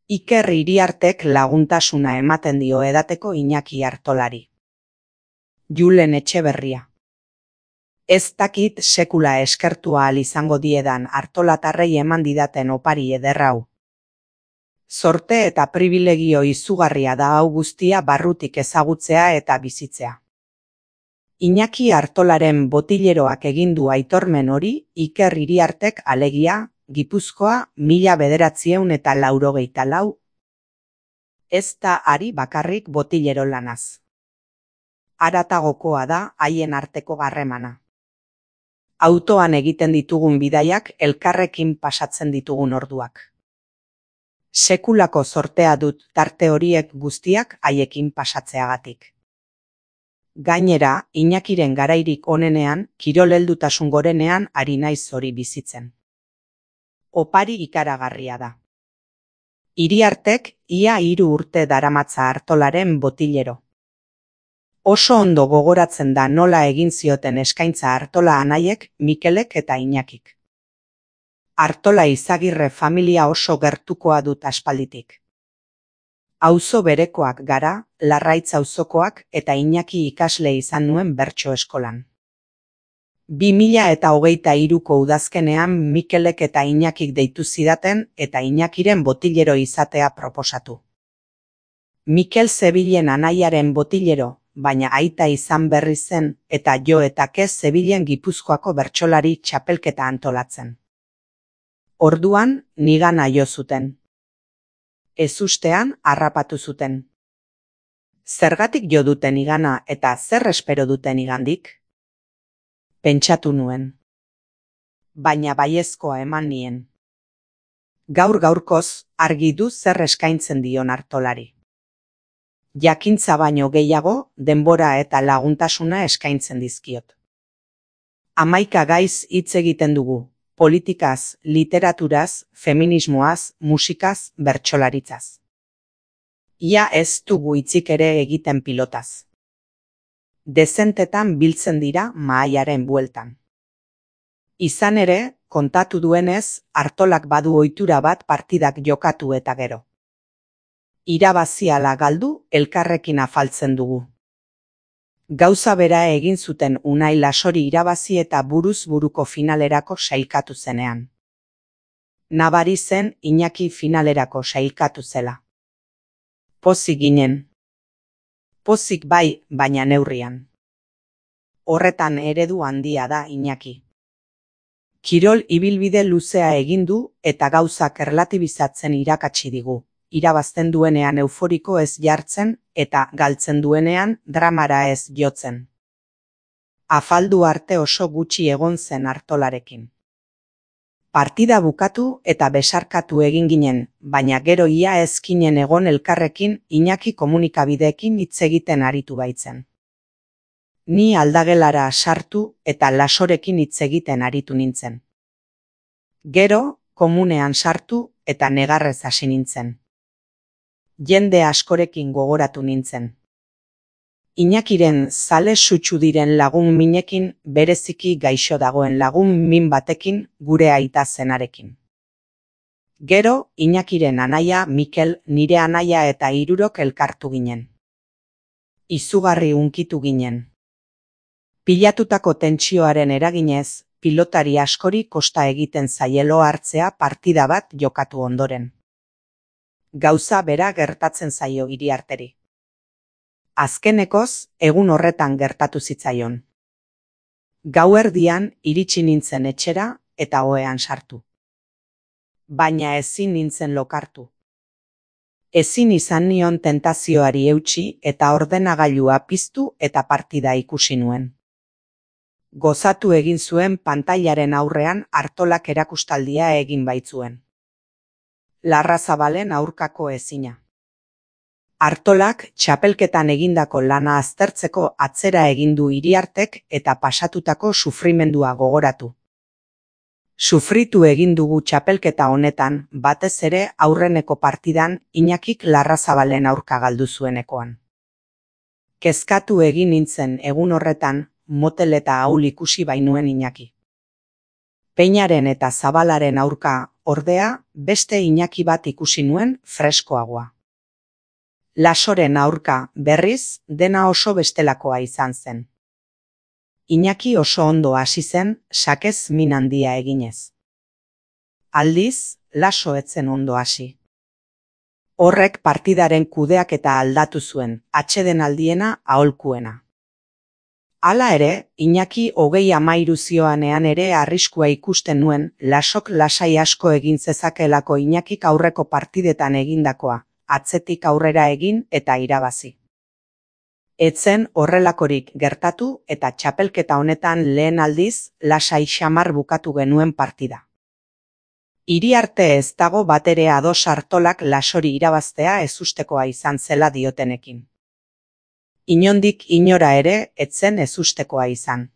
Iker Iriartek laguntasuna ematen dio edateko Iñaki Artolari. Julen Etxeberria. Ez dakit sekula eskertu ahal izango diedan artolatarrei eman didaten opari eder hau. Zorte eta pribilegio izugarria da hau guztia barrutik ezagutzea eta bizitzea. Iñaki Artolaren botileroak egin du aitormen hori Iker Iriartek alegia, Gipuzkoa 1984. Ez da ari bakarrik botilero lanaz. Haratagokoa da haien arteko harremana. Autoan egiten ditugun bidaiak elkarrekin pasatzen ditugun orduak. Sekulako zortea dut tarte horiek guztiak haiekin pasatzeagatik. Gainera, Iñakiren garairik onenean, kirol heldutasun gorenean ari naiz hori bizitzen. Opari ikaragarria da. Iriartek ia 3 urte daramatza Artolaren botilero. Oso ondo gogoratzen da nola egin zioten eskaintza Artola anaiek, Mikelek eta Iñakik. Artola Izagirre familia oso gertukoa dut aspalditik. Auzo berekoak gara, Larraitz auzokoak eta Iñaki ikasle izan nuen bertso eskolan. 2023ko udazkenean Mikelek eta Iñakik deitu zidaten eta Iñakiren botilero izatea proposatu. Mikel zebilen anaiaren botilero, baina aita izan berri zen eta Jo eta Kez zebilen Gipuzkoako bertsolari txapelketa antolatzen. Orduan, nigana jo zuten. Ezustean harrapatu zuten. Zergatik jo duten nigana eta zer espero duten nigandik? Pentsatu nuen. Baina baiezkoa eman nien. Gaur-gaurkoz argi du zer eskaintzen dion Artolari. Jakintza baino gehiago, denbora eta laguntasuna eskaintzen dizkiot. 11 gaiz hitz egiten dugu, politikaz, literaturaz, feminismoaz, musikaz, bertsolaritzaz. Ia ez dugu hitzik ere egiten pilotaz. Dezentetan biltzen dira mahaiaren bueltan. Izan ere, kontatu duenez, Artolak badu ohitura bat partidak jokatu eta gero. Irabazi ala galdu, elkarrekin afaltzen dugu. Gauza bera egin zuten Unai Lasori irabazi eta buruz buruko finalerako sailkatu zenean. Nabari zen Iñaki finalerako sailkatu zela. Pozik ginen. Pozik bai, baina neurrian. Horretan eredu handia da Iñaki. Kirol ibilbide luzea egin du eta gauzak erlatibizatzen irakatsi digu. Irabazten duenean euforiko ez jartzen eta galtzen duenean dramara ez jotzen. Afaldu arte oso gutxi egon zen Artolarekin. Partida bukatu eta besarkatu egin ginen, baina gero ia ezkinen egon elkarrekin Iñaki komunikabideekin hitz egiten aritu baitzen. Ni aldagelara sartu eta Lasorekin hitz egiten aritu nintzen. Gero, komunean sartu eta negarrez hasi nintzen. Jende askorekin gogoratu nintzen. Iñakiren zale sutsu diren lagun minekin, bereziki gaixo dagoen lagun min batekin, gure aita zenarekin. Gero, Iñakiren anaia, Mikel, nire anaia eta 3 elkartu ginen. Izugarri hunkitu ginen. Pilatutako tentsioaren eraginez, pilotari askori kosta egiten zaielo hartzea partida bat jokatu ondoren. Gauza bera gertatzen zaio Iriarteri. Azkenekoz, egun horretan gertatu zitzaion. Gauerdian iritsi nintzen etxera eta ohean sartu. Baina ezin nintzen lokartu. Ezin izan nion tentazioari eutsi eta ordenagailua piztu eta partida ikusi nuen. Gozatu egin zuen pantailaren aurrean Artolak erakustaldia egin baitzuen. Larrazabalen aurkako ezina. Artolak txapelketan egindako lana aztertzeko atzera egin du Iriartek eta pasatutako sufrimendua gogoratu. Sufritu egin dugu txapelketa honetan, batez ere aurreneko partidan Iñakik Larrazabalen aurka galdu zuenekoan. Kezkatu egin nintzen egun horretan, motel eta ahul ikusi bainuen Iñaki. Peñaren eta Zabalaren aurka, ordea, beste Iñaki bat ikusi nuen freskoagoa. Lasoren aurka, berriz, dena oso bestelakoa izan zen. Iñaki oso ondo hasi zen, sakez min handia eginez. Aldiz, Laso etzen ondo hasi. Horrek partidaren kudeaketa aldatu zuen, atsedenaldiena aholkuena. Hala ere, Iñaki 30 zioanean ere arriskua ikusten nuen, Lasok lasai asko egin zezakeelako Iñakik aurreko partidetan egindakoa, atzetik aurrera egin eta irabazi. Etzen horrelakorik gertatu eta txapelketa honetan lehen aldiz, lasai xamar bukatu genuen partida. Iriarte ez dago batere ados Artolak Lasori irabaztea ezustekoa izan zela diotenekin. Inondik inora ere, etzen ezustekoa izan.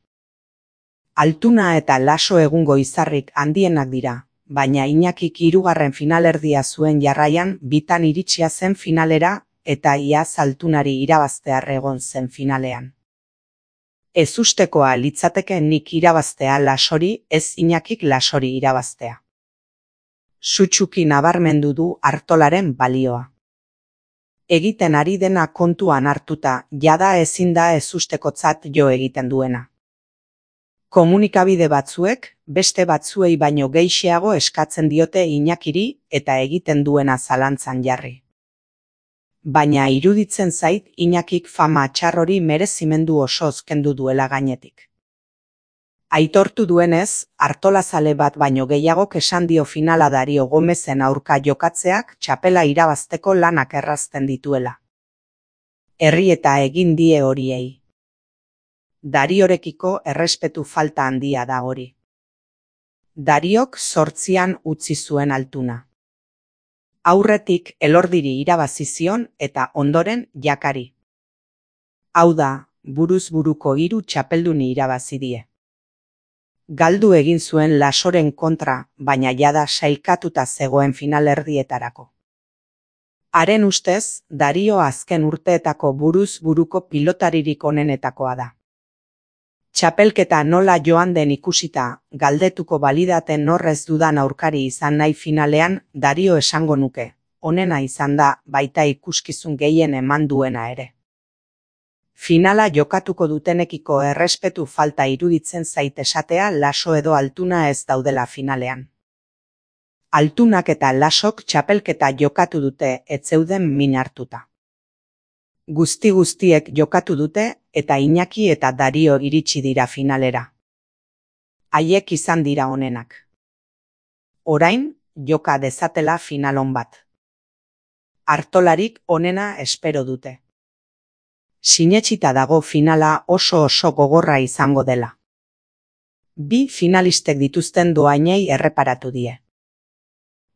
Altuna eta Laso egungo izarrik handienak dira, baina Iñakik 3. finalerdia zuen jarraian bitan iritsia zen finalera eta iaz Altunari irabaztear egon zen finalean. Ezustekoa litzateke nik irabaztea Lasori, ez Iñakik Lasori irabaztea. Sutsuki nabarmendu du Artolaren balioa. Egiten ari dena kontuan hartuta, jada ezin da ezustekotzat jo egiten duena. Komunikabide batzuek, beste batzuei baino gehixeago eskatzen diote Iñakiri eta egiten duena zalantzan jarri. Baina iruditzen zait Iñakik fama txar hori merezimendu osoz kendu duela gainetik. Aitortu duenez, Artolazale bat baino gehiagok esan dio finala Dario Gomezen aurka jokatzeak txapela irabazteko lanak errazten dituela. Herri eta egin die horiei. Dariorekiko errespetu falta handia da hori. Dariok 8an utzi zuen Altuna. Aurretik Elordiri irabazi zion eta ondoren Jakari. Hau da, buruz buruko 3 txapelduni irabazi die. Galdu egin zuen Lasoren kontra, baina jada sailkatuta zegoen finalerdietarako. Haren ustez, Dario azken urteetako buruz buruko pilotaririk onenetakoa da. Txapelketa nola joan den ikusita, galdetuko balidaten horrez dudan aurkari izan nahi finalean, Dario esango nuke, onena izan da, baita ikuskizun gehien eman duena ere. Finala jokatuko dutenekiko errespetu falta iruditzen zait esatea Laso edo Altuna ez daudela finalean. Altunak eta Lasok txapelketa jokatu dute ez zeuden min hartuta. Guztiek jokatu dute eta Iñaki eta Dario iritsi dira finalera. Haiek izan dira onenak. Orain, joka dezatela finalon bat. Artolarik onena espero dute. Sinetsita dago finala oso gogorra izango dela. 2 finalistek dituzten doainei erreparatu die.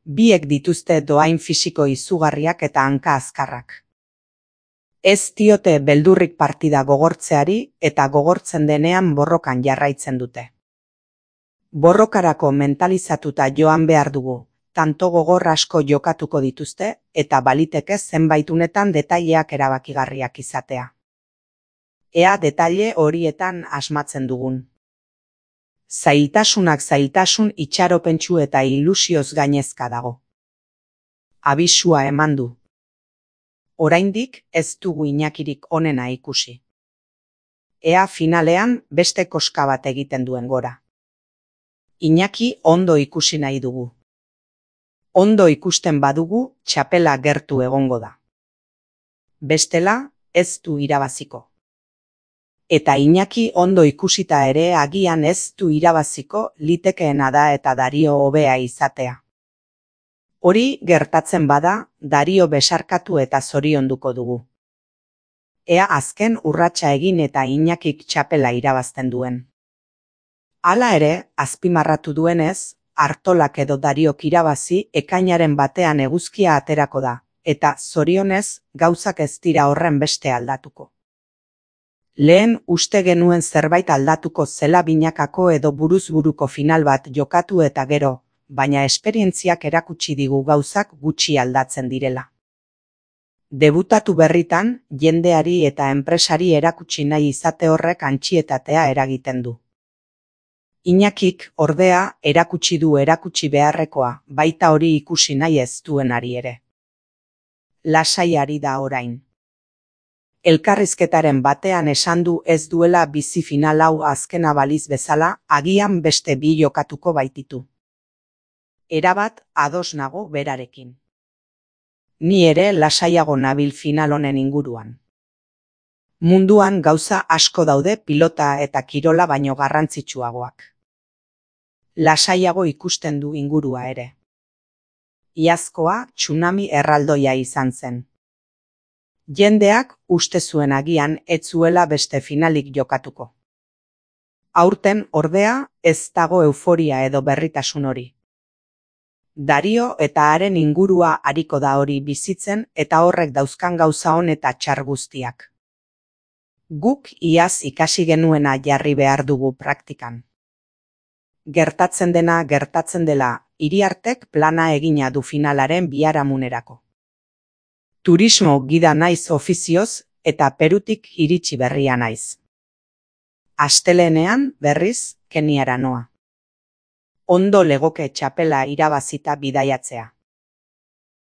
Biek dituzte doain fisiko izugarriak eta hanka azkarrak. Ez diote beldurrik partida gogortzeari eta gogortzen denean borrokan jarraitzen dute. Borrokarako mentalizatuta joan behar dugu, tanto gogor asko jokatuko dituzte eta baliteke zenbaitunetan detaileak erabakigarriak izatea. Ea detaile horietan asmatzen dugun. Zailtasun itxaropentsu eta ilusioz gainezka dago. Abisua eman du. Oraindik ez dugu Iñakirik onena ikusi. Ea finalean beste koska bat egiten duen gora. Iñaki ondo ikusi nahi dugu. Ondo ikusten badugu, txapela gertu egongo da. Bestela, ez du irabaziko. Eta Iñaki ondo ikusita ere agian ez du irabaziko litekeena da eta Dario hobea izatea. Hori gertatzen bada, Dario besarkatu eta zorionduko dugu. Ea azken urratsa egin eta Iñakik txapela irabazten duen. Hala ere, azpimarratu duenez, Artolak edo Dariok irabazi ekainaren batean eguzkia aterako da, eta zorionez gauzak ez dira horren beste aldatuko. Lehen uste genuen zerbait aldatuko zela binakako edo buruz-buruko final bat jokatu eta gero, baina esperientziak erakutsi digu gauzak gutxi aldatzen direla. Debutatu berritan, jendeari eta enpresari erakutsi nahi izate horrek antsietatea eragiten du. Iñakik, ordea, erakutsi du erakutsi beharrekoa, baita hori ikusi nahi ez duenari ere. Lasai ari da orain. Elkarrizketaren batean esan du ez duela bizi final hau azkena baliz bezala, agian beste bi jokatuko baititu. Erabat ados nago berarekin. Ni ere lasaiago nabil final honen inguruan. Munduan gauza asko daude pilota eta kirola baino garrantzitsuagoak. Lasaiago ikusten du ingurua ere. Iazkoa tsunami erraldoia izan zen. Jendeak uste zuen agian ez zuela beste finalik jokatuko. Aurten ordea ez dago euforia edo berritasun hori. Dario eta haren ingurua ariko da hori bizitzen eta horrek dauzkan gauza on eta txar guztiak. Guk iaz ikasi genuena jarri behar dugu praktikan. Gertatzen dena gertatzen dela, Iriartek plana egina du finalaren biharamunerako. Turismo gida naiz ofizioz eta Perutik iritsi berria naiz. Astelehenean berriz Keniara noa. Ondo legoke txapela irabazita bidaiatzea.